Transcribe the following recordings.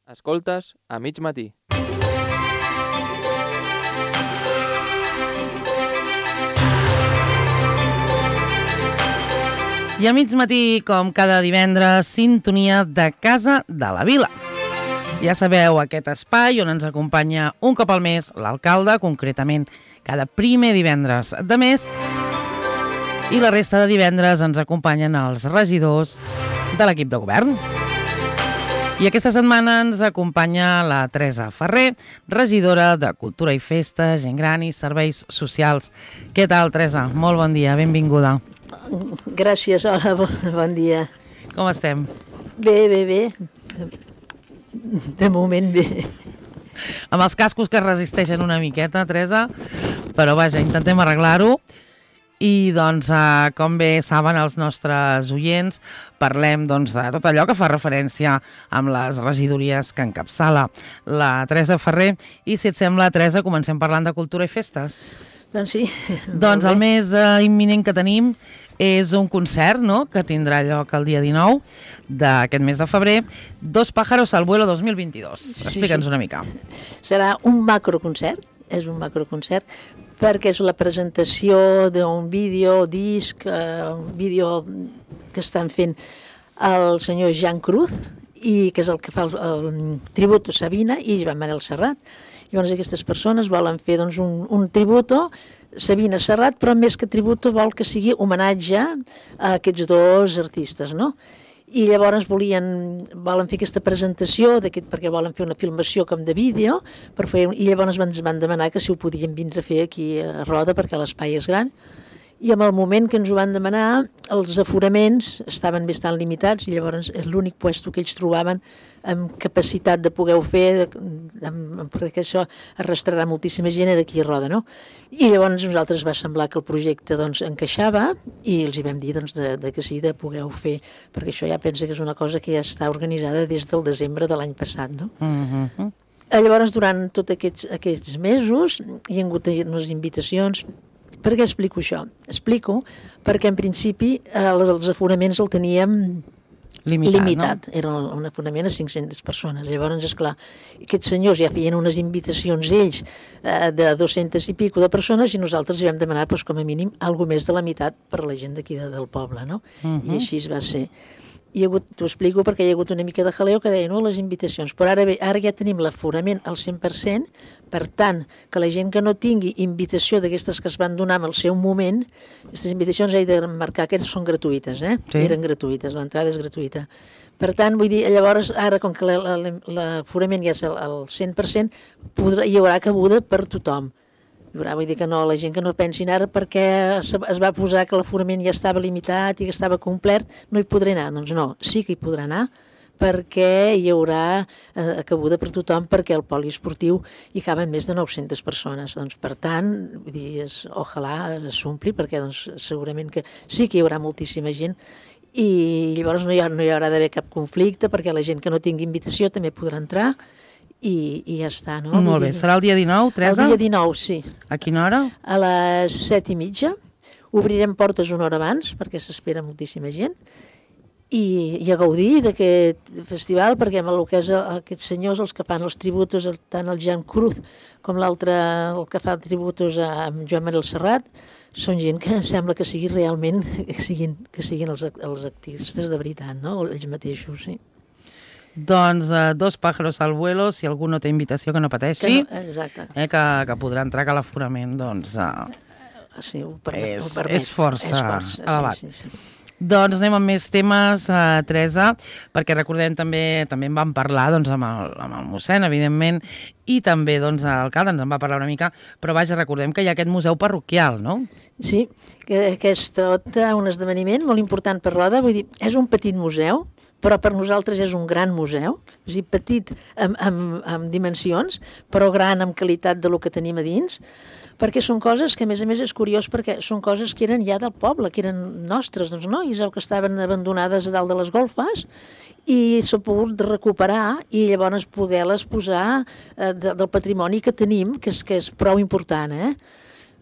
Escoltes a mig matí. I a mig matí, com cada divendres, sintonia de Casa de la Vila. Ja sabeu, aquest espai on ens acompanya un cop al mes l'alcalde, concretament cada primer divendres de mes, i la resta de divendres ens acompanyen els regidors de l'equip de govern. I aquesta setmana ens acompanya la Teresa Ferrer, regidora de Cultura i Festa, Gent Gran i Serveis Socials. Què tal, Teresa? Molt bon dia, benvinguda. Gràcies, hola, bon dia. Com estem? Bé. De moment bé. Amb els cascos que resisteixen una miqueta, Teresa, però vaja, intentem arreglar-ho. I doncs, com bé saben els nostres oients, parlem doncs, de tot allò que fa referència amb les regidories que encapçala la Teresa Ferrer. I si et sembla, Teresa, comencem parlant de cultura i festes. Doncs sí. Doncs el més imminent que tenim és un concert, no?, que tindrà lloc el dia 19 d'aquest mes de febrer, Dos pájaros al vuelo 2022. Explica'ns una mica. Serà un macroconcert, és un macroconcert, perquè és la presentació d'un disc, un vídeo que estan fent el senyor Jean Cruz, i que és el que fa el tributo a Sabina i Joan Manel Serrat. Llavors aquestes persones volen fer doncs, un tributo Sabina Serrat, però més que tributo vol que sigui homenatge a aquests dos artistes, no? I llavors volen fer aquesta presentació, perquè volen fer una filmació com de vídeo, i llavors ens van demanar que si ho podien vindre a fer aquí a Roda, perquè l'espai és gran. I en el moment que ens ho van demanar, els aforaments estaven bastant limitats, i llavors és l'únic puesto que ells trobaven amb capacitat de poder-ho fer, perquè això arrastrarà moltíssima gent aquí a Roda, no? I llavors a nosaltres va semblar que el projecte doncs, encaixava, i els hi vam dir doncs, que sí, de poder-ho fer, perquè això ja pensa que és una cosa que ja està organitzada des del desembre de l'any passat, no? Llavors, durant tots aquests mesos, hi ha hagut unes invitacions. Per què explico això? Explico perquè en principi els aforaments el teníem limitat. No? Era un aforament a 500 persones. Llavors, esclar, aquests senyors ja feien unes invitacions ells de 200 i pico de persones i nosaltres hi vam demanar com a mínim alguna més de la meitat per a la gent d'aquí del poble, no? I així va ser. T'ho explico perquè hi ha hagut una mica de jaleo que deia, no, les invitacions, però ara ja tenim l'aforament al 100%, per tant, que la gent que no tingui invitació d'aquestes que es van donar en el seu moment, aquestes invitacions he de marcar que són gratuïtes, Sí. Eren gratuïtes, l'entrada és gratuïta. Per tant, vull dir, llavors, ara, com que l'aforament ja és al 100%, hi haurà cabuda per tothom. Vull dir que no, la gent que no pensin ara perquè es va posar que l'aforament ja estava limitat i que estava complet, no hi podrà anar. Doncs no, sí que hi podrà anar perquè hi haurà cabuda per tothom, perquè el poliesportiu hi caben més de 900 persones. Doncs, per tant, vull dir, ojalà s'ompli, perquè doncs, segurament que sí que hi haurà moltíssima gent i llavors no hi haurà d'haver cap conflicte perquè la gent que no tingui invitació també podrà entrar. I ja està, no? Molt bé. Serà el dia 19, Teresa? El dia 19, sí. A quina hora? A les 7:30. Obrirem portes una hora abans, perquè s'espera moltíssima gent. I a gaudir d'aquest festival, perquè amb el que és aquests senyors, els que fan els tributos, tant el Jean Cruz com l'altre, el que fa tributos amb Joan Manel Serrat, són gent que sembla que sigui realment, que siguin els artistes de veritat, no? Ells mateixos, sí. Doncs Dos pájaros al vuelo, si algú no té invitació que no pateixi, que podrà entrar, que l'aforament doncs, sí, és força elevat. Sí. Doncs anem amb més temes, Teresa, perquè recordem també en vam parlar doncs, amb el mossèn, evidentment, i també doncs, l'alcalde ens en va parlar una mica, però vaja, recordem que hi ha aquest museu parroquial, no? Sí, que és tot un esdeveniment molt important per Roda, vull dir, és un petit museu, però per nosaltres és un gran museu, és a dir, petit amb dimensions, però gran amb qualitat de lo que tenim a dins, perquè són coses que, a més és curiós, perquè són coses que eren ja del poble, que eren nostres, doncs no? I és el que estaven abandonades a dalt de les golfes, i s'ha pogut recuperar i llavors poder-les posar del patrimoni que tenim, que és prou important,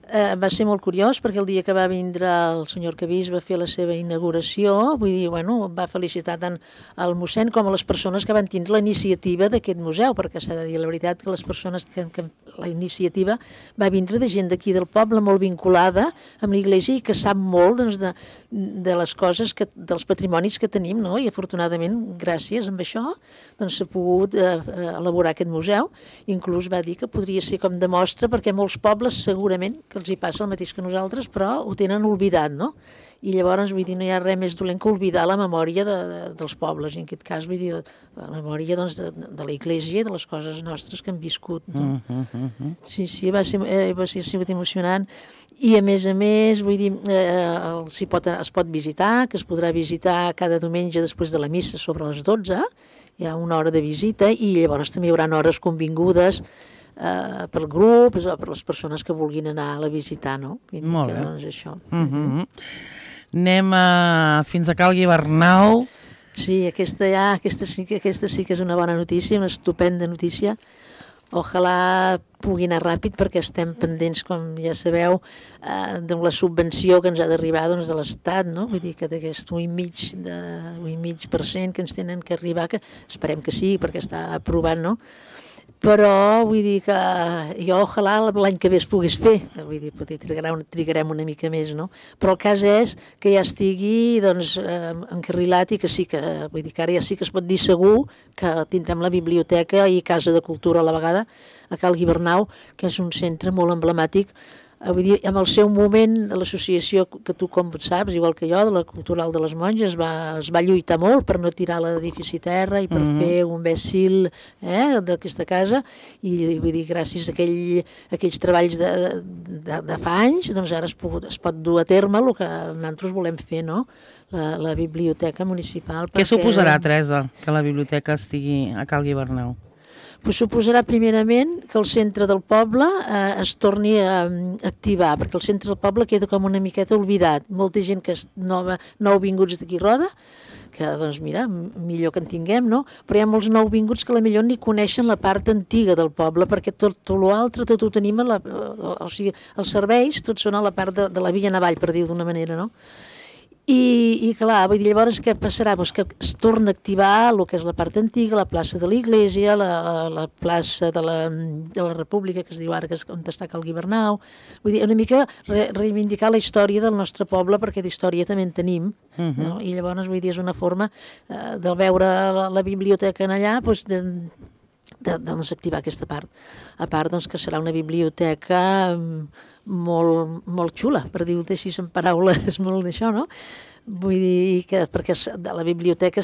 Va ser molt curiós perquè el dia que va vindre el senyor Arquebís va fer la seva inauguració, vull dir, bueno, va felicitar tant el mossèn com a les persones que van tindre la iniciativa d'aquest museu, perquè s'ha de dir la veritat que les persones que la iniciativa va vindre de gent d'aquí del poble molt vinculada amb l'església i que sap molt doncs, de les coses, dels patrimonis que tenim, no? I afortunadament, gràcies a això, doncs s'ha pogut elaborar aquest museu. Inclús va dir que podria ser com de mostra perquè molts pobles segurament que els hi passa el mateix que nosaltres, però ho tenen oblidat, no? I llavors, vull dir, no hi ha res més dolent que oblidar la memòria dels pobles, i en aquest cas, vull dir, la memòria doncs, de la Iglésia i de les coses nostres que hem viscut, no? Sí, va ser sigut emocionant, i a més, vull dir, es pot visitar, que es podrà visitar cada diumenge després de la missa sobre les 12, hi ha una hora de visita, i llavors també hi haurà hores convingudes pel grup, per les persones que vulguin anar a la visitar, no? Molt bé. Doncs això. Anem fins a Cal Guibernau. Sí, aquesta sí que és una bona notícia, una estupenda notícia. Ojalà pugui anar ràpid perquè estem pendents, com ja sabeu, de la subvenció que ens ha d'arribar doncs, de l'Estat, no? Vull dir que d'aquest 1,5% que ens tenen que arribar, que esperem que sí, perquè està aprovat, no? Però vull dir que jo ojalà l'any que ve es pogués fer, vull dir, potser trigarem una mica més, no? Però el cas és que ja estigui doncs, encarrilat i que sí que, vull dir que ara ja sí que es pot dir segur que tindrem la biblioteca i Casa de Cultura a la vegada a Cal Guibernau, que és un centre molt emblemàtic. Vull dir, en el seu moment, l'associació que tu com saps, igual que jo, de la Cultural de les Monges, es va lluitar molt per no tirar l'edifici a terra i per fer un bèssil d'aquesta casa, i vull dir, gràcies a aquells treballs de fa anys, doncs ara es pot dur a terme el que nosaltres volem fer, no? La biblioteca municipal. Què suposarà, Teresa, que la biblioteca estigui a Cal Guibernau? Pues suposarà primerament que el centre del poble es torni a activar, perquè el centre del poble queda com una miqueta oblidat. Molta gent que és nouvinguts d'aquí Roda, que doncs mira, millor que en tinguem, no? Però hi ha molts nouvinguts que potser ni coneixen la part antiga del poble, perquè tot l'altre, tot ho tenim, o sigui, els serveis, tots són a la part de la Via Navall, per dir-ho d'una manera, no? I clar, vull dir, llavors què passarà? Pues que es torna a activar el que és la part antiga, la plaça de l'Iglésia, la plaça de la República, que es diu ara, que és on està Cal Guibernau. Vull dir, una mica reivindicar la història del nostre poble, perquè d'història també en tenim, no? I llavors, vull dir, és una forma de veure la biblioteca en allà, doncs, de activar aquesta part. A part, doncs, que serà una biblioteca molt xula, per dir-ho així en paraules, molt d'això, no? Vull dir que, perquè la biblioteca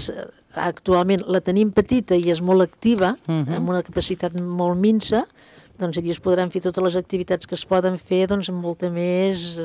actualment la tenim petita i és molt activa, amb una capacitat molt minsa, doncs allí es podran fer totes les activitats que es poden fer, doncs amb molta més,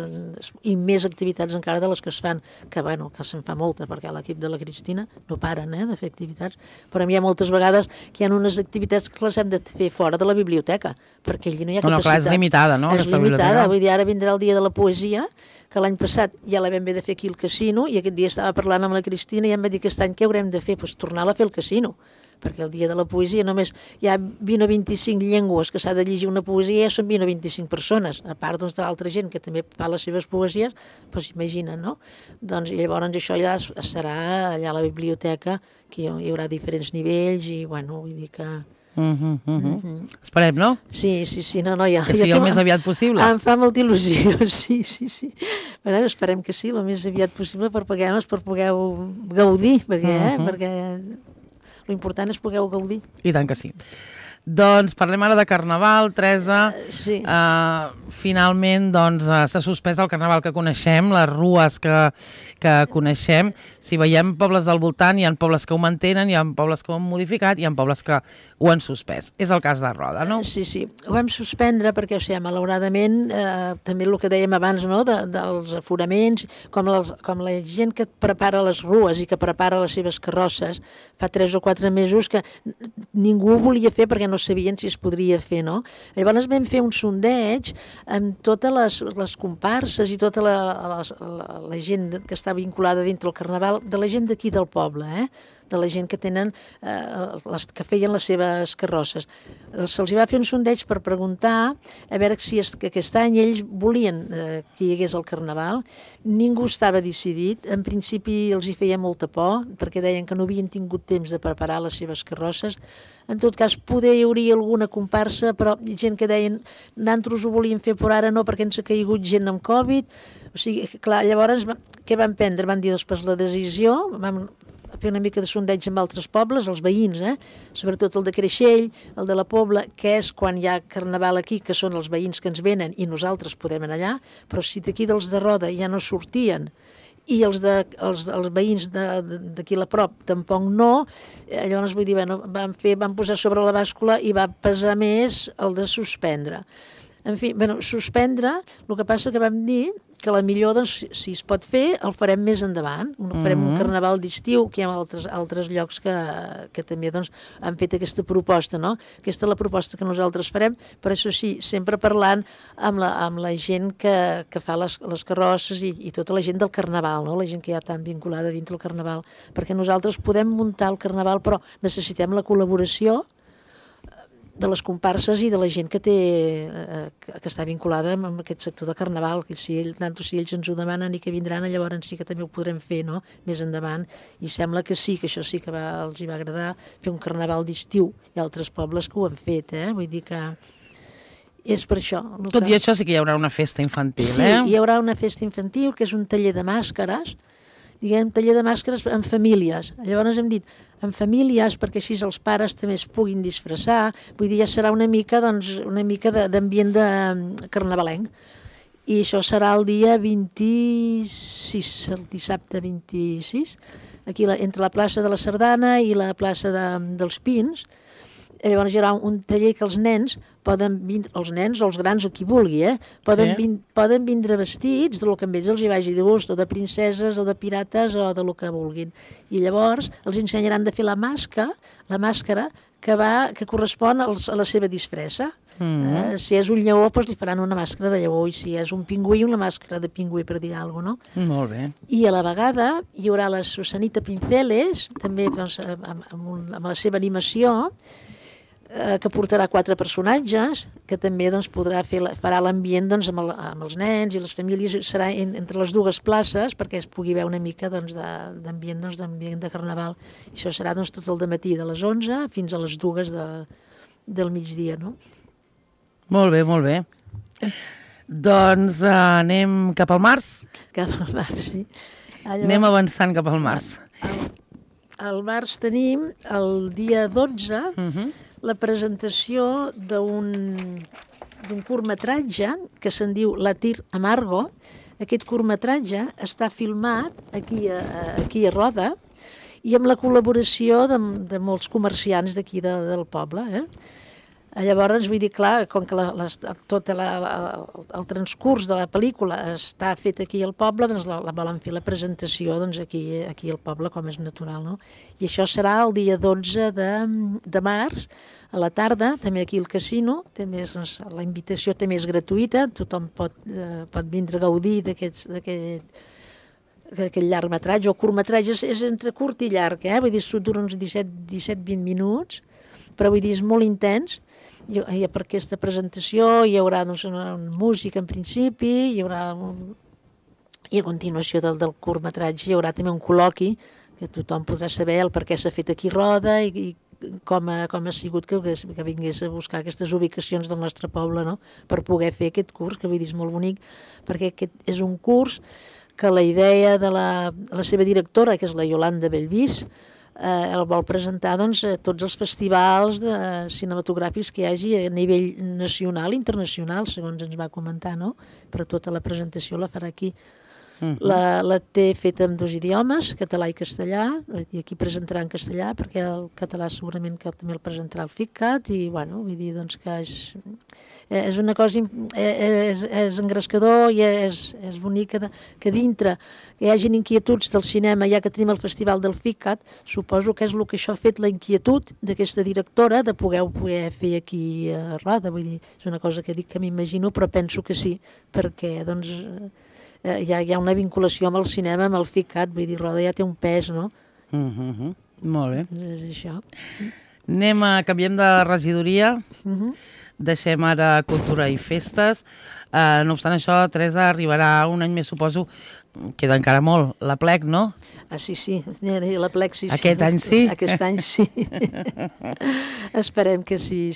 i més activitats encara de les que es fan, que bueno, que se'n fa molta, perquè l'equip de la Cristina no paren de fer activitats, però hi ha moltes vegades que hi ha unes activitats que les hem de fer fora de la biblioteca, perquè allí no hi ha capacitat. No, clar, és limitada, no? És limitada, vull dir, ara vindrà el dia de la poesia, que l'any passat ja la vam haver de fer aquí al casino, i aquest dia estava parlant amb la Cristina i em va dir que aquest any què haurem de fer? Doncs tornar-la a fer al casino, perquè el dia de la poesia només hi ha 20 o 25 llengües que s'ha de llegir una poesia, ja són 20 o 25 persones, a part doncs, de l'altra gent que també fa les seves poesies, doncs imagina't, no? Doncs llavors això ja serà allà a la biblioteca, que hi haurà diferents nivells i, bueno, vull dir que... Esperem, no? Sí, no, ja... Que sigui el més aviat possible. Em fa molta il·lusió, sí. Però esperem que sí, el més aviat possible per poder gaudir, perquè l'important és poder gaudir. I tant que sí. Doncs parlem ara de Carnaval, Teresa. Sí. Finalment, doncs, s'ha suspès el Carnaval que coneixem, les rues que coneixem. Si veiem pobles del voltant, hi ha pobles que ho mantenen, hi ha pobles que ho han modificat, hi ha pobles que ho han suspès. És el cas de Roda, no? Sí, ho vam suspendre perquè, o sigui, malauradament, també el que dèiem abans, no?, dels aforaments, com la gent que prepara les rues i que prepara les seves carrosses, fa 3 o 4 mesos que ningú ho volia fer perquè no sabien si es podria fer, no? Llavors vam fer un sondeig amb totes les comparses i tota la gent que està vinculada dintre el Carnaval, de la gent d'aquí del poble, de la gent que tenen, que feien les seves carrosses. Se'ls va fer un sondeig per preguntar a veure si aquest any ells volien que hi hagués el Carnaval. Ningú estava decidit. En principi els hi feia molta por, perquè deien que no havien tingut temps de preparar les seves carrosses. En tot cas, poder hi hauria alguna comparsa, però gent que deien nosaltres ho volíem fer, però ara no, perquè ens ha caigut gent amb Covid. O sigui, clar, llavors, què van prendre? Van dir després la decisió, vam fer una mica de sondeig amb altres pobles, els veïns, sobretot el de Creixell, el de la Pobla, que és quan hi ha Carnaval aquí, que són els veïns que ens venen i nosaltres podem anar allà, però si d'aquí dels de Roda ja no sortien i els veïns d'aquí a la prop tampoc no, llavors vull dir, bueno, van posar sobre la bàscula i va pesar més el de suspendre. En fi, bueno, suspendre, el que passa que vam dir que la millor, doncs, si es pot fer, el farem més endavant. Farem un carnaval d'estiu, que hi ha altres llocs que també doncs, han fet aquesta proposta, no? Aquesta és la proposta que nosaltres farem, però això sí, sempre parlant amb la gent que fa les carrosses i tota la gent del carnaval, no? La gent que ja està vinculada dintre del carnaval, perquè nosaltres podem muntar el carnaval, però necessitem la col·laboració de les comparses i de la gent que està vinculada amb aquest sector de carnaval, que si ells ens ho demanen i que vindran, llavors sí que també ho podrem fer, no?, més endavant, i sembla que sí, que això sí que els hi va agradar fer un carnaval d'estiu. Hi ha altres pobles que ho han fet, vull dir que és per això. Tot i això sí que hi haurà una festa infantil, Sí, hi haurà una festa infantil, que és un taller de màscares, diguem, taller de màscares en famílies. Llavors hem dit, en famílies, perquè així els pares també es puguin disfressar, vull dir, ja serà una mica d'ambient de carnavalenc. I això serà el dia 26, el dissabte 26, aquí entre la plaça de la Sardana i la plaça dels Pins. Llavors hi haurà un taller que els nens poden vindre, els nens o els grans o qui vulgui, poden vindre vestits del que a ells els hi vagi de gust, o de princeses o de pirates o de lo que vulguin. I llavors els ensenyaran de fer la màscara que correspon a la seva disfressa. Si és un lleó, doncs li faran una màscara de lleó, i si és un pingüí, una màscara de pingüí, per dir alguna cosa, no? Molt bé. I a la vegada hi haurà la Susanita Pinceles, també doncs, amb la seva animació, que portarà 4 personatges, que també doncs, farà l'ambient doncs, amb els nens i les famílies, serà entre les dues places perquè es pugui veure una mica doncs, d'ambient de carnaval. I això serà doncs, tot el dematí de les 11 fins a les 2 del migdia, no? Molt bé, molt bé. Doncs anem cap al març? Cap al març, sí. Anem avançant cap al març. Al març tenim el dia 12, la presentació d'un curtmetratge que se'n diu La Tir Amargo. Aquest curtmetratge està filmat aquí a Roda i amb la col·laboració de molts comerciants d'aquí del poble. Llavors, vull dir, clar, com que tot el transcurs de la pel·lícula està fet aquí al poble, doncs la volen fer la presentació doncs, aquí al poble, com és natural, no? I això serà el dia 12 de març, a la tarda, també aquí al casino. La invitació també és gratuïta, tothom pot vindre a gaudir d'aquest llargmetratge, o curtmetratge, és entre curt i llarg, vull dir, dura uns 17-20 minuts, però vull dir, és molt intens. I per aquesta presentació hi haurà doncs, una música en principi, i a continuació del curtmetratge hi haurà també un col·loqui que tothom podrà saber el per què s'ha fet aquí Roda i com ha sigut que vingués a buscar aquestes ubicacions del nostre poble, no? Per poder fer aquest curs, que vull dir és molt bonic, perquè aquest és un curs que la idea de la seva directora, que és la Yolanda Bellvís, el vol presentar doncs, a tots els festivals cinematogràfics que hi hagi a nivell nacional i internacional, segons ens va comentar, no? Però tota la presentació la farà aquí. La té feta en 2 idiomes, català i castellà, i aquí presentarà en castellà, perquè el català segurament que també el presentarà el FICCAT, i bueno, vull dir doncs, que és una cosa, és engrescador i és bonic que dintre que hi hagin inquietuds del cinema, ja que tenim el festival del FICCAT, suposo que és el que això ha fet la inquietud d'aquesta directora de poder fer aquí a Roda. Vull dir, és una cosa que dic que m'imagino, però penso que sí, perquè doncs hi ha una vinculació amb el cinema, amb el FICCAT, vull dir, Roda ja té un pes, no? Molt bé. És això. Canviem de regidoria, deixem ara cultura i festes. No obstant això, Teresa, arribarà un any més, suposo, queda encara molt, la plec, no? Sí, la plec sí. Aquest any sí? Aquest any sí. Esperem que sí.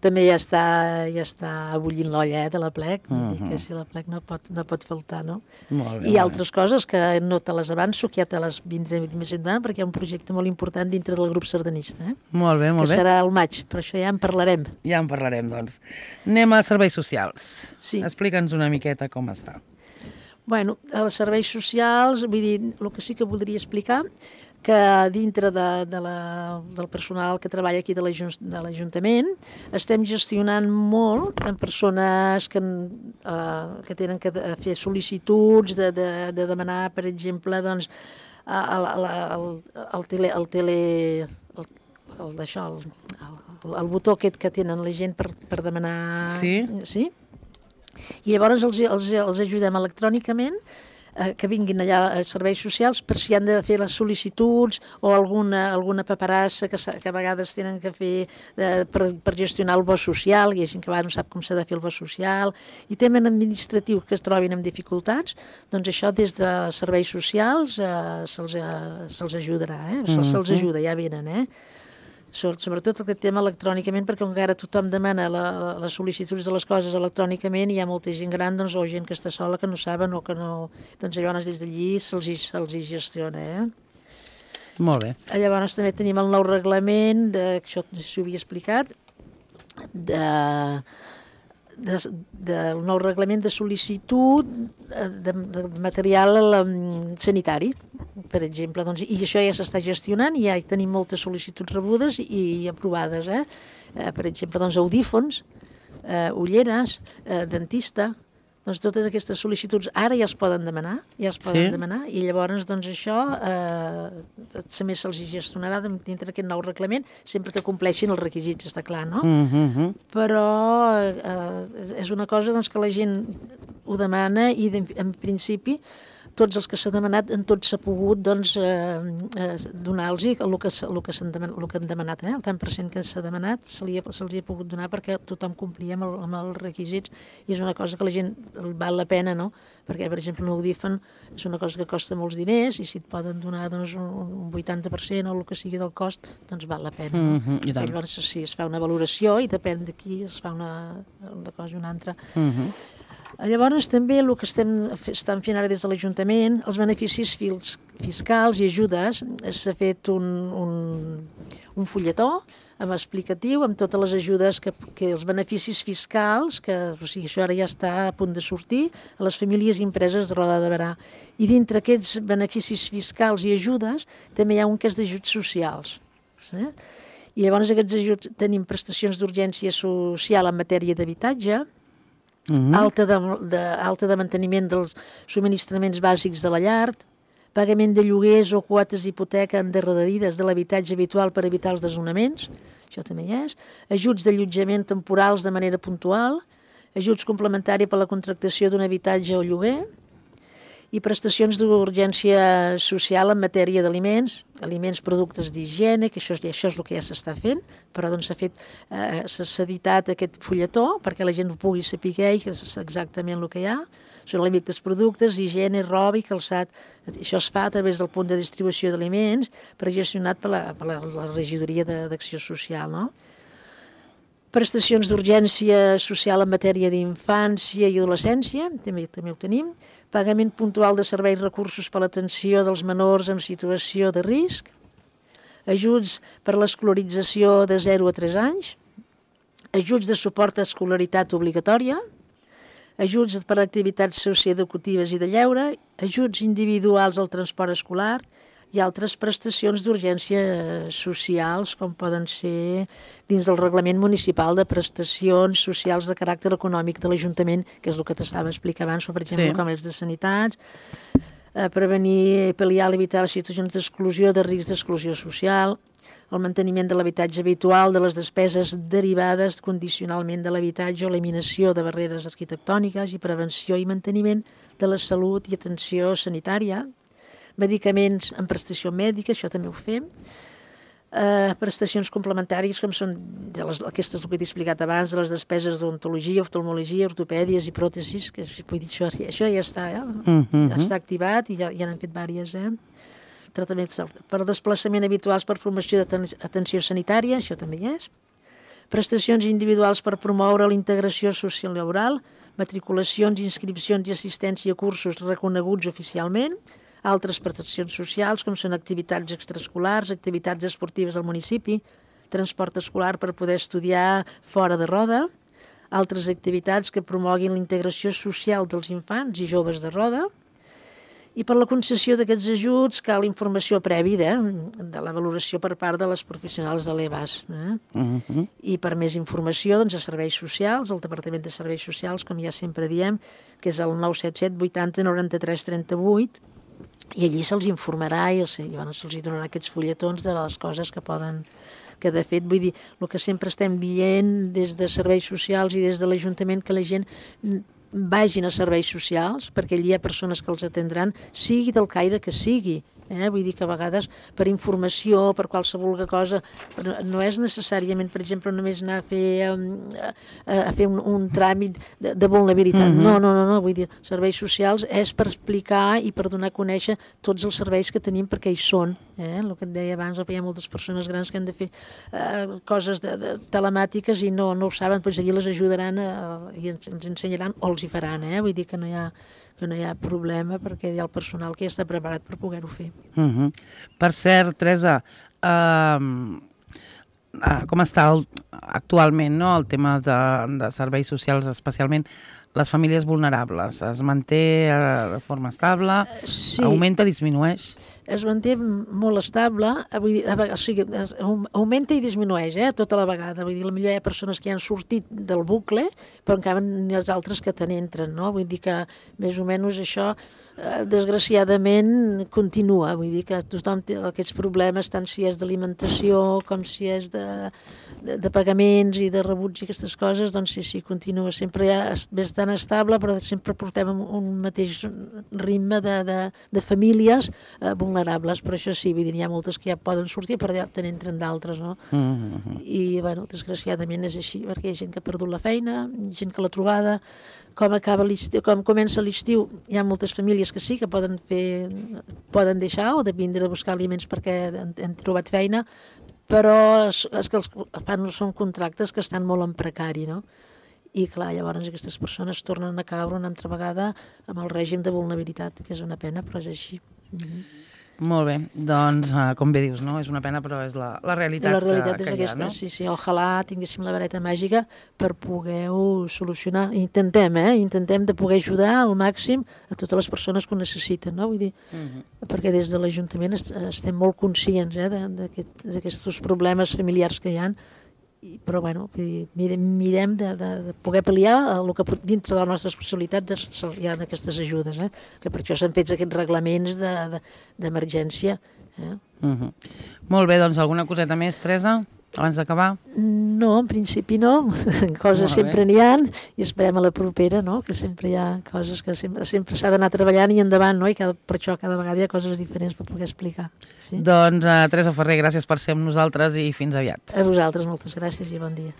També ja està bullint l'olla de la plec, que si la plec no pot faltar, no? Molt bé, I altres coses que no te les avanço, que ja te les vindré més endavant, perquè hi ha un projecte molt important dintre del grup sardanista. Molt bé, molt bé. Que serà al maig, però això ja en parlarem. Ja en parlarem, doncs. Anem a serveis socials. Sí. Explica'ns una miqueta com està. Bueno, els serveis socials, vull dir, el que sí que voldria explicar, que dintre del personal que treballa aquí de l'Ajuntament estem gestionant molt amb persones que tenen que fer sol·licituds de demanar, per exemple, doncs, el botó aquest que tenen la gent per demanar... Sí? I llavors els ajudem electrònicament que vinguin allà a serveis socials per si han de fer les sol·licituds o alguna paperassa que a vegades tenen que fer per gestionar el bo social, hi ha gent que no sap com s'ha de fer el bo social, i temen administratiu que es trobin amb dificultats, doncs això des de serveis socials se'ls ajudarà, se'ls ajuda, ja venen, sobretot aquest tema electrònicament, perquè encara tothom demana les sol·licituds de les coses electrònicament i hi ha molta gent gran o gent que està sola que no saben o que no... Doncs llavors des d'allí se'ls hi gestiona, Molt bé. Llavors també tenim el nou reglament, això s'ho havia explicat, del nou reglament de sol·licitud de material sanitari, per exemple, doncs, i això ja s'està gestionant i ja tenim moltes sol·licituds rebudes i aprovades, per exemple, doncs, audífons, ulleres, dentista, doncs totes aquestes sol·licituds ara ja es poden demanar, i llavors doncs això també se'ls gestionarà dintre d'aquest nou reglament, sempre que compleixin els requisits, està clar, no? Però és una cosa doncs, que la gent ho demana i en principi tots els que s'ha demanat, en tots s'ha pogut doncs, donar-los el que han demanat, el tant per cent que s'ha demanat se'ls ha pogut donar perquè tothom complia amb els requisits i és una cosa que la gent val la pena, no? Perquè, per exemple, un audífon és una cosa que costa molts diners i si et poden donar doncs, un 80% o el que sigui del cost, doncs val la pena. No? Llavors, sí, es fa una valoració i depèn de qui es fa una cosa i una altra. Llavors també el que estan fent ara des de l'Ajuntament, els beneficis fiscals i ajudes, s'ha fet un fulletó explicatiu amb totes les ajudes que els beneficis fiscals, o sigui, això ara ja està a punt de sortir, a les famílies i empreses de Roda de Berà. I dintre aquests beneficis fiscals i ajudes també hi ha un que és d'ajuts socials. I llavors aquests ajuts tenim prestacions d'urgència social en matèria d'habitatge, alta de manteniment dels subministraments bàsics de la llar, pagament de lloguers o quotes d'hipoteca endarrerides de l'habitatge habitual per evitar els desnonaments, això també hi és, ajuts d'allotjament temporals de manera puntual, ajuts complementaris per a la contractació d'un habitatge o lloguer, i prestacions d'urgència social en matèria d'aliments, aliments, productes d'higiene, que això és el que ja s'està fent, però doncs s'ha editat aquest fulletó perquè la gent ho pugui saber i que és exactament el que hi ha. Són aliments, productes, higiene, roba i calçat. Això es fa a través del punt de distribució d'aliments gestionat per la regidoria d'Acció Social, no? Prestacions d'urgència social en matèria d'infància i adolescència, també ho tenim. Pagament puntual de serveis recursos per a l'atenció dels menors en situació de risc. Ajuts per a l'escolarització de 0 a 3 anys. Ajuts de suport a escolaritat obligatòria. Ajuts per a activitats socioeducatives i de lleure. Ajuts individuals al transport escolar. I altres prestacions d'urgència socials, com poden ser dins del Reglament Municipal de Prestacions Socials de Caràcter Econòmic de l'Ajuntament, que és el que t'estava explicant abans, per exemple, com els de sanitats, prevenir, pal·liar i evitar les situacions d'exclusió, de risc d'exclusió social, el manteniment de l'habitatge habitual, de les despeses derivades condicionalment de l'habitatge o eliminació de barreres arquitectòniques i prevenció i manteniment de la salut i atenció sanitària, medicaments en prestació mèdica, això també ho fem, Prestacions complementàries, com són aquestes que t'he explicat abans, de les despeses d'odontologia, oftalmologia, ortopèdies i pròtesis, que vull dir, això ja està, ja està activat i ja n'han fet diverses, tractaments per desplaçament habituals per formació d'atenció sanitària, això també hi és. Prestacions individuals per promoure la integració social i laboral, matriculacions, inscripcions i assistència a cursos reconeguts oficialment, altres prestacions socials, com són activitats extraescolars, activitats esportives al municipi, transport escolar per poder estudiar fora de Roda, altres activitats que promoguin la integració social dels infants i joves de Roda, i per la concessió d'aquests ajuts cal informació prèvia de la valoració per part de les professionals de l'EBAS. I per més informació, doncs, a Serveis Socials, el Departament de Serveis Socials, com ja sempre diem, que és el 977 80 93 38, i allí se'ls informarà i se'ls donarà aquests fulletons de les coses que poden... que de fet, vull dir, el que sempre estem dient des de Serveis Socials i des de l'Ajuntament, que la gent vagin a serveis socials, perquè allí hi ha persones que els atendran, sigui del caire que sigui. Vull dir que a vegades per informació, per qualsevol cosa, no és necessàriament, per exemple, només anar a fer un tràmit de vulnerabilitat. No, vull dir, serveis socials és per explicar i per donar a conèixer tots els serveis que tenim perquè hi són. El que et deia abans, hi ha moltes persones grans que han de fer coses telemàtiques i no ho saben, doncs allí les ajudaran i ens ensenyaran o els hi faran. Vull dir que no hi ha problema perquè hi ha el personal que ja està preparat per poder-ho fer. Per cert, Teresa, com està actualment el tema de serveis socials, especialment les famílies vulnerables? Es manté de forma estable? Sí. Augmenta, disminueix? Es manté molt estable, o sigui, augmenta i disminueix tota la vegada. Vull dir, potser hi ha persones que ja han sortit del bucle, però encara n'hi ha altres que te n'entren, no? Vull dir que més o menys això, desgraciadament, continua. Vull dir que tothom té aquests problemes, tant si és d'alimentació com si és de pagaments i de rebuts i aquestes coses, doncs sí, continua. Sempre ja és bastant estable, però sempre portem un mateix ritme de famílies vulnerables, però això sí, vull dir, hi ha moltes que ja poden sortir, però ja te n'entren d'altres, no? I, bueno, desgraciadament és així, perquè hi ha gent que ha perdut la feina, gent que l'ha trobada, com comença l'estiu, hi ha moltes famílies que sí, que poden deixar o de vindre a buscar aliments perquè han trobat feina, però és que són contractes que estan molt en precari, no? I clar, llavors aquestes persones tornen a caure una altra vegada amb el règim de vulnerabilitat, que és una pena, però és així. Molt bé, doncs, com bé dius, no? És una pena, però és la realitat, la realitat és que aquesta, hi ha, no? Sí, ojalà tinguéssim la vareta màgica per poder-ho solucionar. Intentem de poder ajudar al màxim a totes les persones que ho necessiten, no? Vull dir, perquè des de l'Ajuntament estem molt conscients d'aquests problemes familiars que hi ha, però bueno, mirem de poder pal·liar el que dintre de les nostres possibilitats hi ha aquestes ajudes, que per això s'han fet aquests reglaments d'emergència. Molt bé, doncs alguna coseta més, Teresa, abans d'acabar? No, en principi no, coses sempre n'hi ha i esperem a la propera, no? Que sempre hi ha coses que sempre s'ha d'anar treballant i endavant, no? I per això cada vegada hi ha coses diferents per poder explicar. Sí? Doncs, Teresa Ferrer, gràcies per ser amb nosaltres i fins aviat. A vosaltres, moltes gràcies i bon dia.